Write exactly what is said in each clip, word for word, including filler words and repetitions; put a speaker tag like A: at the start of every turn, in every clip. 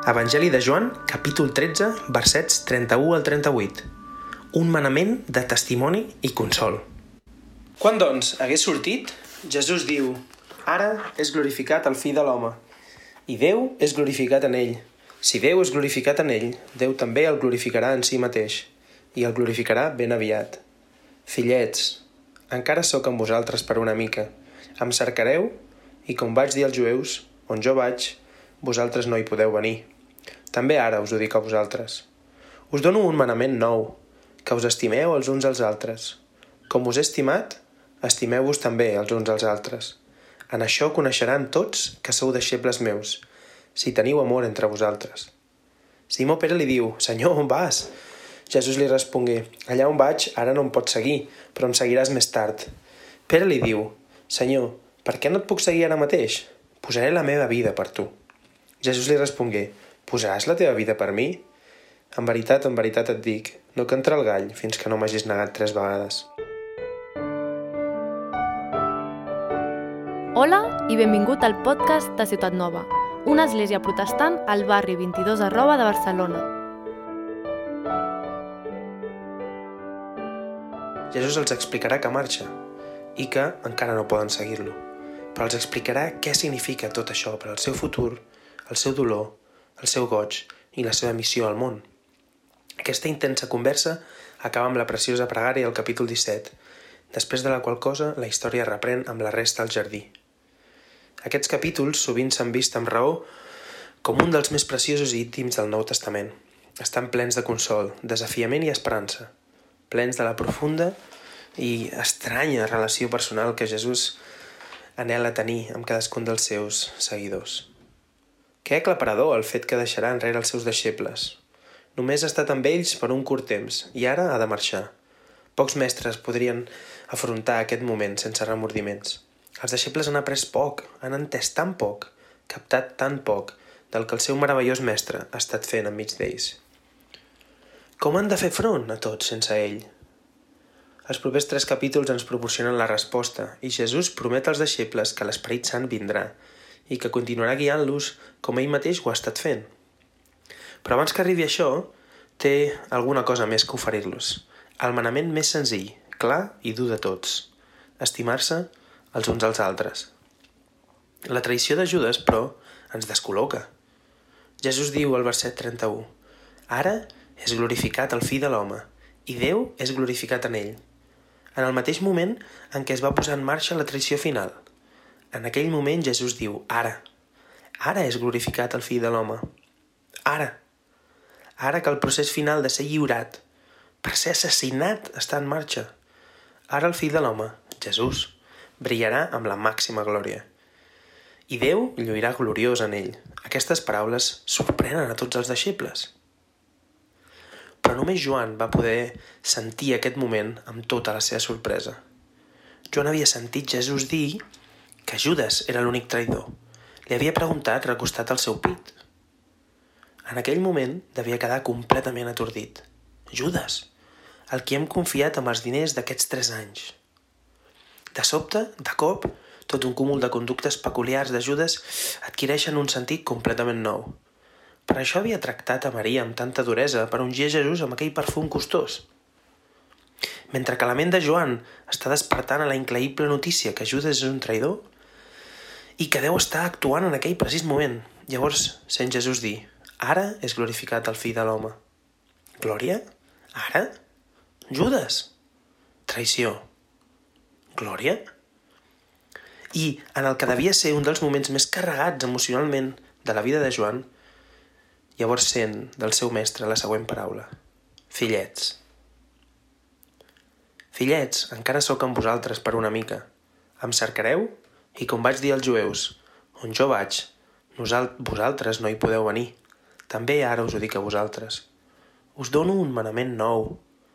A: Evangeli de Joan, capítol tretze, versets trenta-u al trenta-vuit. Un manament de testimoni i consol. Quan, doncs, hagués sortit, Jesús diu: «Ara és glorificat el Fill de l'home, i Déu és glorificat en ell. Si Déu és glorificat en ell, Déu també el glorificarà en si mateix, i el glorificarà ben aviat. Fillets, encara sóc amb vosaltres per una mica. Em cercareu, i com vaig dir als jueus, on jo vaig, vosaltres no hi podeu venir. També ara us ho dic a vosaltres. Us dono un manament nou, que us estimeu els uns als altres. Com us he estimat, estimeu-vos també els uns als altres. En això coneixeran tots que sou deixebles meus, si teniu amor entre vosaltres». Simó Pere li diu: «Senyor, on vas?» Jesús li respongué: «Allà on vaig ara no em pots seguir, però em seguiràs més tard». Pere li diu: «Senyor, per què no et puc seguir ara mateix? Posaré la meva vida per tu». Jesús li respongué: «Posaràs la teva vida per mi? En veritat, en veritat et dic, no cantarà el gall fins que no m'hagis negat tres vegades».
B: Hola i benvingut al podcast de Ciutat Nova, una església protestant al barri vint-i-dos arroba de Barcelona.
A: Jesús els explicarà que marxa i que encara no poden seguir-lo, però els explicarà què significa tot això per al seu futur, el seu dolor, el seu goig i la seva missió al món. Aquesta intensa conversa acaba amb la preciosa pregària al capítol disset, després de la qual cosa la història reprèn amb la resta al jardí. Aquests capítols sovint s'han vist amb raó com un dels més preciosos i íntims del Nou Testament. Estan plens de consol, desafiament i esperança, plens de la profunda i estranya relació personal que Jesús anhela tenir amb cadascun dels seus seguidors. Que aclaparador el fet que deixarà enrere els seus deixebles. Només ha estat amb ells per un curt temps i ara ha de marxar. Pocs mestres podrien afrontar aquest moment sense remordiments. Els deixebles han après poc, han entès tan poc, captat tan poc del que el seu meravellós mestre ha estat fent enmig d'ells. Com han de fer front a tot sense ell? Els propers tres capítols ens proporcionen la resposta i Jesús promet als deixebles que l'Esperit Sant vindrà i que continuarà guiant-los com ell mateix ho ha estat fent. Però abans que arribi això, té alguna cosa més que oferir-los. El manament més senzill, clar i dur de tots: estimar-se els uns als altres. La traïció de Judes, però, ens descol·loca. Jesús diu al verset trenta-u: «Ara és glorificat el Fill de l'home, i Déu és glorificat en ell». En el mateix moment en què es va posar en marxa la traïció final. En aquell moment Jesús diu: «Ara. Ara és glorificat el Fill de l'home. Ara. Ara que el procés final de ser lliurat, per ser assassinat, està en marxa. Ara el Fill de l'home, Jesús, brillarà amb la màxima glòria. I Déu lluirà gloriós en ell». Aquestes paraules sorprenen a tots els deixebles. Però només Joan va poder sentir aquest moment amb tota la seva sorpresa. Joan havia sentit Jesús dir que Judes era l'únic traïdor. Li havia preguntat recostat al seu pit. En aquell moment devia quedar completament atordit. Judes, el qui hem confiat amb els diners d'aquests tres anys. De sobte, de cop, tot un cúmul de conductes peculiars de Judes adquireixen un sentit completament nou. Per això havia tractat a Maria amb tanta duresa per ungir Jesús amb aquell perfum costós. Mentre que la ment de Joan està despertant a la increïble notícia que Judes és un traïdor i que Déu està actuant en aquell precís moment, llavors sent Jesús dir: «Ara és glorificat el Fill de l'home». Glòria? Ara? Judes? Traïció? Glòria? I en el que devia ser un dels moments més carregats emocionalment de la vida de Joan, llavors sent del seu mestre la següent paraula: «Fillets». «Fillets, encara sóc amb vosaltres per una mica. Em cercareu? I com vaig dir als jueus, on jo vaig, vosaltres no hi podeu venir. També ara us ho dic a vosaltres. Us dono un manament nou,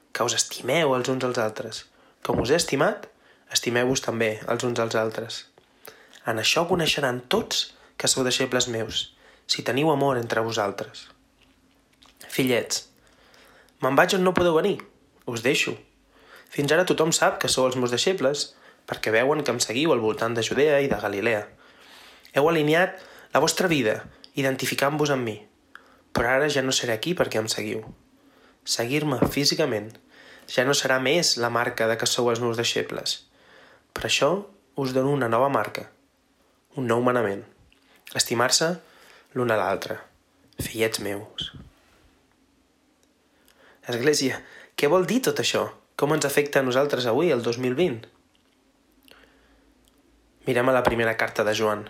A: que us estimeu els uns als altres. Com us he estimat, estimeu-vos també els uns als altres. En això coneixeran tots que sou deixebles meus, si teniu amor entre vosaltres. Fillets, me'n vaig on no podeu venir. Us deixo. Fins ara tothom sap que sou els meus deixebles, perquè veuen que em seguiu al voltant de Judea i de Galilea. Heu alineat la vostra vida, identificant-vos amb mi. Però ara ja no seré aquí perquè em seguiu. Seguir-me físicament ja no serà més la marca de que sou els meus deixebles. Per això us dono una nova marca, un nou manament. Estimar-se l'un a l'altre, fillets meus. Església, què vol dir tot això? Com ens afecta a nosaltres avui, el dos mil vint? Mirem a la primera carta de Joan.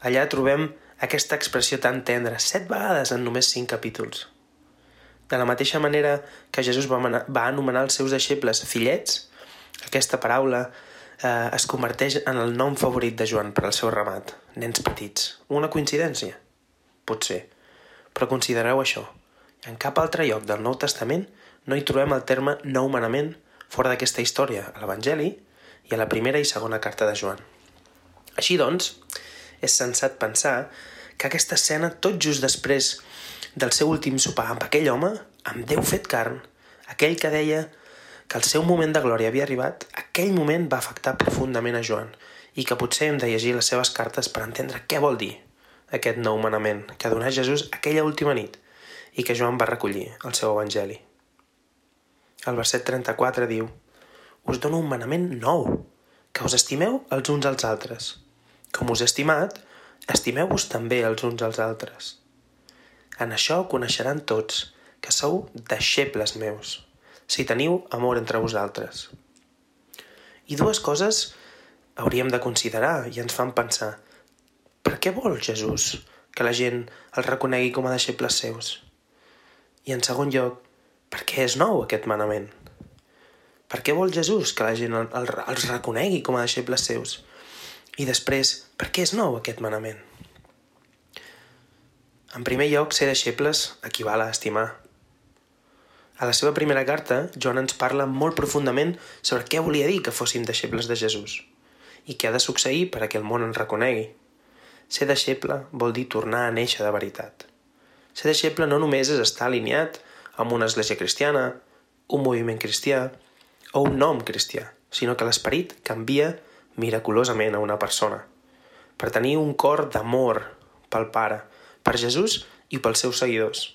A: Allà trobem aquesta expressió tan tendra, set vegades en només cinc capítols. De la mateixa manera que Jesús va anomenar els seus deixebles fillets, aquesta paraula eh, es converteix en el nom favorit de Joan per al seu ramat, nens petits. Una coincidència? Potser. Però considereu això. En cap altre lloc del Nou Testament no hi trobem el terme nou manament fora d'aquesta història, a l'Evangeli i a la primera i segona carta de Joan. Així doncs, és sensat pensar que aquesta escena, tot just després del seu últim sopar amb aquell home, amb Déu fet carn, aquell que deia que el seu moment de glòria havia arribat, aquell moment va afectar profundament a Joan i que potser hem de llegir les seves cartes per entendre què vol dir aquest nou manament que donà Jesús aquella última nit i que Joan va recollir al seu Evangeli. El verset trenta-quatre diu: «Us dono un manament nou, que us estimeu els uns als altres. Com us he estimat, estimeu-vos també els uns als altres. En això coneixeran tots que sou deixebles meus, si teniu amor entre vosaltres». I dues coses hauríem de considerar i ens fan pensar: per què vol Jesús que la gent el reconegui com a deixebles seus? I en segon lloc, per què és nou aquest manament? Per què vol Jesús que la gent el, el, els reconegui com a deixebles seus? I després, per què és nou aquest manament? En primer lloc, ser deixebles equival a estimar. A la seva primera carta, Joan ens parla molt profundament sobre què volia dir que fóssim deixebles de Jesús i què ha de succeir per a que el món ens reconegui. Ser deixeble vol dir tornar a néixer de veritat. Ser deixeble no només és estar alineat amb una església cristiana, un moviment cristià o un nom cristià, sinó que l'esperit canvia miraculosament a una persona, per tenir un cor d'amor pel Pare, per Jesús i pels seus seguidors.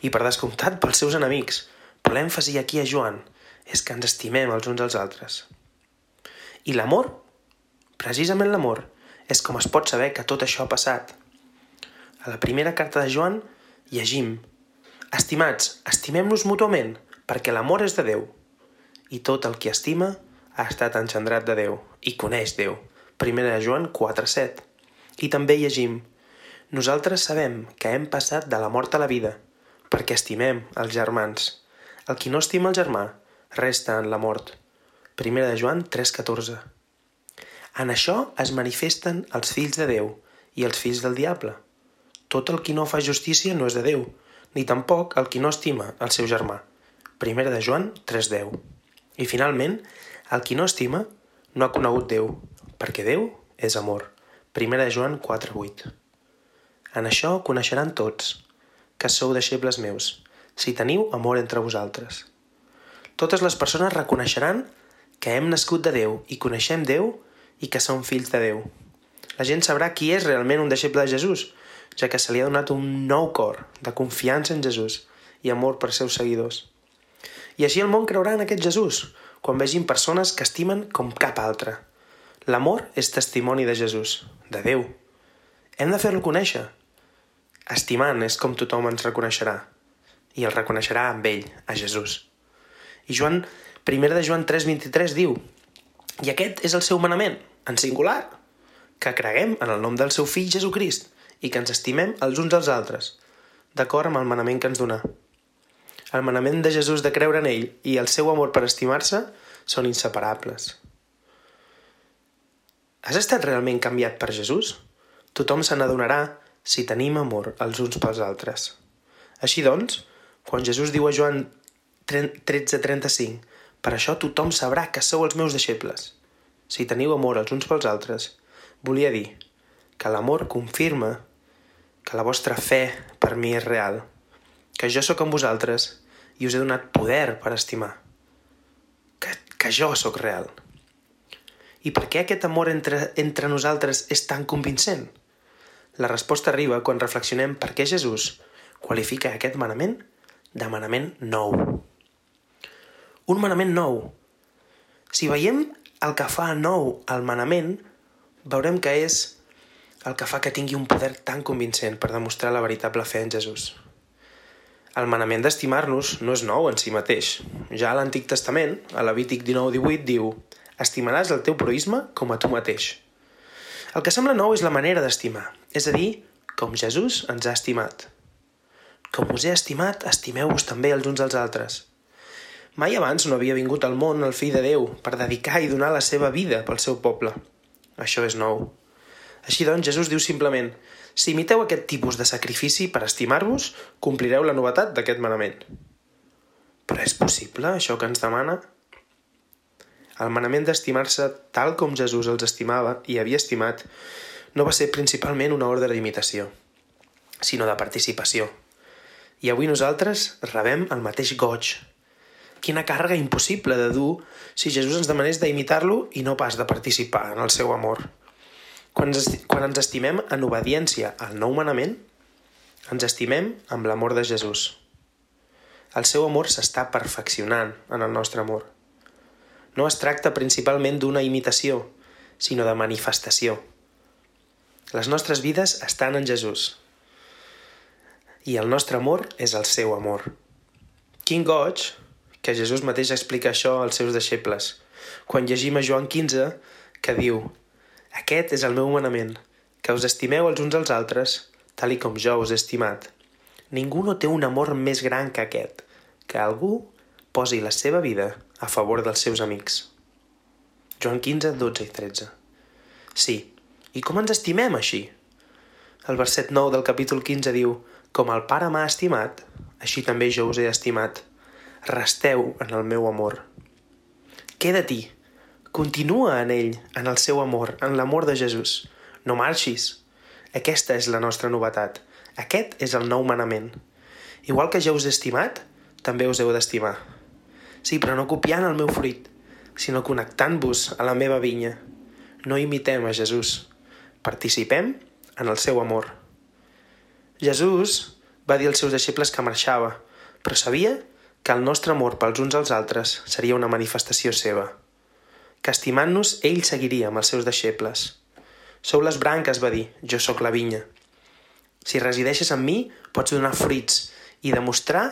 A: I per descomptat pels seus enemics, però l'èmfasi aquí a Joan és que ens estimem els uns als altres. I l'amor, precisament l'amor, és com es pot saber que tot això ha passat. A la primera carta de Joan llegim: «Estimats, estimem-nos mútuament, perquè l'amor és de Déu, i tot el qui estima ha estat engendrat de Déu i coneix Déu». Primera de Joan quatre set. I també llegim: «Nosaltres sabem que hem passat de la mort a la vida, perquè estimem els germans. El qui no estima el germà resta en la mort». Primera de Joan tres catorze. En això es manifesten els fills de Déu i els fills del diable. Tot el qui no fa justícia no és de Déu, ni tampoc el qui no estima el seu germà. Primera de Joan tres deu. I finalment, el qui no estima no ha conegut Déu, perquè Déu és amor. Primera de Joan quatre vuit. En això coneixeran tots que sou deixebles meus, si teniu amor entre vosaltres. Totes les persones reconeixeran que hem nascut de Déu i coneixem Déu i que som fills de Déu. La gent sabrà qui és realment un deixeble de Jesús, ja que se li ha donat un nou cor de confiança en Jesús i amor per seus seguidors. I així el món creurà en aquest Jesús, quan vegin persones que estimen com cap altre. L'amor és testimoni de Jesús, de Déu. Hem de fer-lo conèixer. Estimant és com tothom ens reconeixerà, i el reconeixerà amb ell, a Jesús. I Joan, primera de Joan tres vint-i-tres diu: «I aquest és el seu manament, en singular, que creguem en el nom del seu fill Jesucrist i que ens estimem els uns als altres, d'acord amb el manament que ens donà». El manament de Jesús de creure en ell i el seu amor per estimar-se són inseparables. Has estat realment canviat per Jesús? Tothom se n'adonarà si tenim amor els uns pels altres. Així doncs, quan Jesús diu a Joan tretze trenta-cinc: «Per això tothom sabrà que sou els meus deixebles, si teniu amor els uns pels altres», volia dir que l'amor confirma que la vostra fe per mi és real, que jo sóc amb vosaltres i us he donat poder per estimar, que, que jo sóc real. I per què aquest amor entre, entre nosaltres és tan convincent? La resposta arriba quan reflexionem per què Jesús, qualifica aquest manament de manament nou. Un manament nou. Si veiem el que fa nou el manament, veurem que és el que fa que tingui un poder tan convincent per demostrar la veritable fe en Jesús. El manament d'estimar-nos no és nou en si mateix. Ja a l'Antic Testament, a Levític dinou divuit, diu: «Estimaràs el teu proïsme com a tu mateix». El que sembla nou és la manera d'estimar, és a dir, com Jesús ens ha estimat. Com us he estimat, estimeu-vos també els uns als altres. Mai abans no havia vingut al món el Fill de Déu per dedicar i donar la seva vida pel seu poble. Això és nou. Així doncs, Jesús diu simplement: si imiteu aquest tipus de sacrifici per estimar-vos, complireu la novetat d'aquest manament. Però és possible, això que ens demana? El manament d'estimar-se tal com Jesús els estimava i havia estimat no va ser principalment una ordre d'imitació, sinó de participació. I avui nosaltres rebem el mateix goig. Quina càrrega impossible de dur si Jesús ens demanés d'imitar-lo i no pas de participar en el seu amor. Quan ens, quan ens estimem en obediència al nou manament, ens estimem amb l'amor de Jesús. El seu amor s'està perfeccionant en el nostre amor. No es tracta principalment d'una imitació, sinó de manifestació. Les nostres vides estan en Jesús. I el nostre amor és el seu amor. Quin goig que Jesús mateix explica això als seus deixebles, quan llegim a Joan quinze, que diu: «Aquest és el meu manament, que us estimeu els uns als altres, tal i com jo us he estimat. Ningú no té un amor més gran que aquest, que algú posi la seva vida a favor dels seus amics». Joan quinze, dotze i tretze. Sí, i com ens estimem així? El verset nou del capítol quinze diu: «Com el Pare m'ha estimat, així també jo us he estimat. Resteu en el meu amor». Queda-t'hi. Continua en ell, en el seu amor, en l'amor de Jesús. No marxis. Aquesta és la nostra novetat. Aquest és el nou manament. Igual que jo us he estimat, també us heu d'estimar. Sí, però no copiant el meu fruit, sinó connectant-vos a la meva vinya. No imitem a Jesús. Participem en el seu amor. Jesús va dir als seus deixebles que marxava, però sabia que el nostre amor pels uns als altres seria una manifestació seva. Que estimant-nos, ell seguiria amb els seus deixebles. Sou les branques, va dir, jo sóc la vinya. Si resideixes en mi, pots donar fruits i demostrar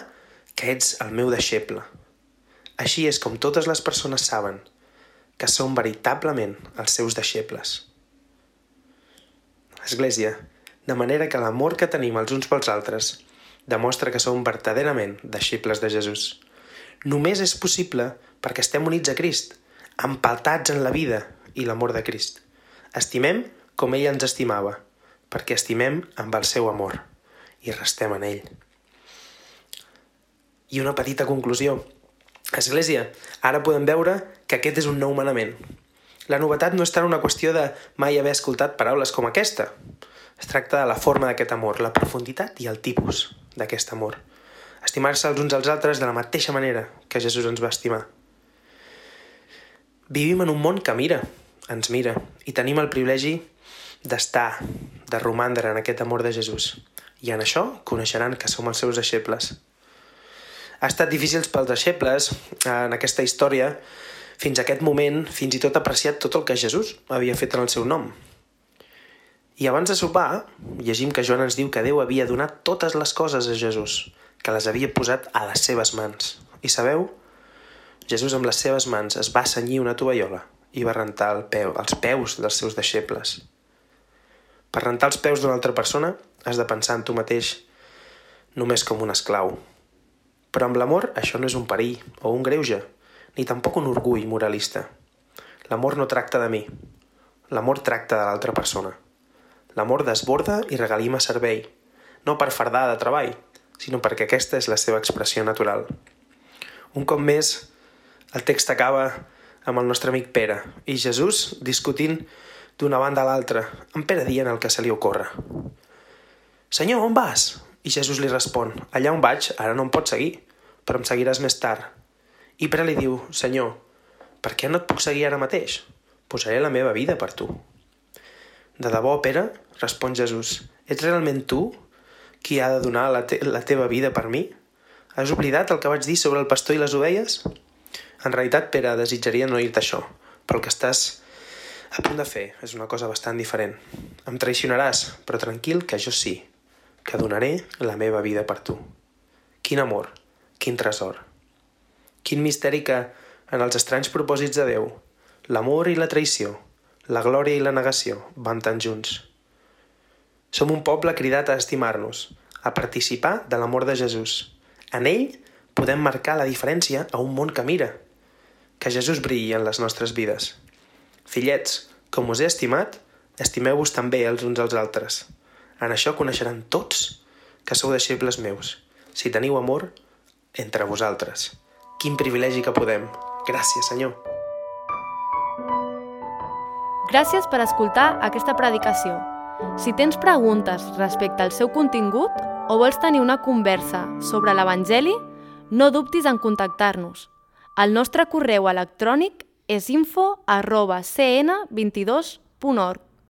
A: que ets el meu deixeble. Així és com totes les persones saben que som veritablement els seus deixebles. Església, de manera que l'amor que tenim els uns pels altres demostra que som verdaderament deixebles de Jesús. Només és possible perquè estem units a Crist, empaltats en la vida i l'amor de Crist. Estimem com ell ens estimava, perquè estimem amb el seu amor i restem en ell. I una petita conclusió. Església, ara podem veure que aquest és un nou manament. La novetat no és tant una qüestió de mai haver escoltat paraules com aquesta. Es tracta de la forma d'aquest amor, la profunditat i el tipus d'aquest amor. Estimar-se els uns als altres de la mateixa manera que Jesús ens va estimar. Vivim en un món que mira, ens mira, i tenim el privilegi d'estar, de romandre en aquest amor de Jesús. I en això coneixeran que som els seus deixebles. Ha estat difícil pels deixebles, en aquesta història, fins a aquest moment, fins i tot apreciat tot el que Jesús havia fet en el seu nom. I abans de sopar, llegim que Joan ens diu que Déu havia donat totes les coses a Jesús, que les havia posat a les seves mans. I sabeu? Jesús amb les seves mans es va cenyir una tovallola i va rentar el peu, els peus dels seus deixebles. Per rentar els peus d'una altra persona has de pensar en tu mateix només com un esclau. Però amb l'amor això no és un perill o un greuge, ni tampoc un orgull moralista. L'amor no tracta de mi. L'amor tracta de l'altra persona. L'amor desborda i regalima servei, no per fardar de treball, sinó perquè aquesta és la seva expressió natural. Un cop més, el text acaba amb el nostre amic Pere i Jesús discutint d'una banda a l'altra, amb Pere dient el que se li ocorre. «Senyor, on vas?» I Jesús li respon: «Allà on vaig, ara no em pots seguir, però em seguiràs més tard». I Pere li diu: «Senyor, per què no et puc seguir ara mateix? Posaré la meva vida per tu». «De debò, Pere?» respon Jesús. «Ets realment tu qui ha de donar la, te la teva vida per mi? Has oblidat el que vaig dir sobre el pastor i les ovelles? En realitat, Pere, desitjaria no dir-te això, però el que estàs a punt de fer és una cosa bastant diferent. Em traicionaràs, però tranquil que jo sí, que donaré la meva vida per tu. Quin amor, quin tresor. Quin misteri que, en els estranys propòsits de Déu, l'amor i la traïció, la glòria i la negació van tan junts. Som un poble cridat a estimar-nos, a participar de l'amor de Jesús. En ell podem marcar la diferència a un món que mira. Que Jesús brilli en les nostres vides. Fillets, com us he estimat, estimeu-vos també els uns als altres. En això coneixeran tots que sou deixebles meus, si teniu amor entre vosaltres. Quin privilegi que podem. Gràcies, Senyor.
B: Gràcies per escoltar aquesta predicació. Si tens preguntes respecte al seu contingut o vols tenir una conversa sobre l'Evangeli, no dubtis en contactar-nos. El nostre correu electrònic és info arroba c n vint dos punt org.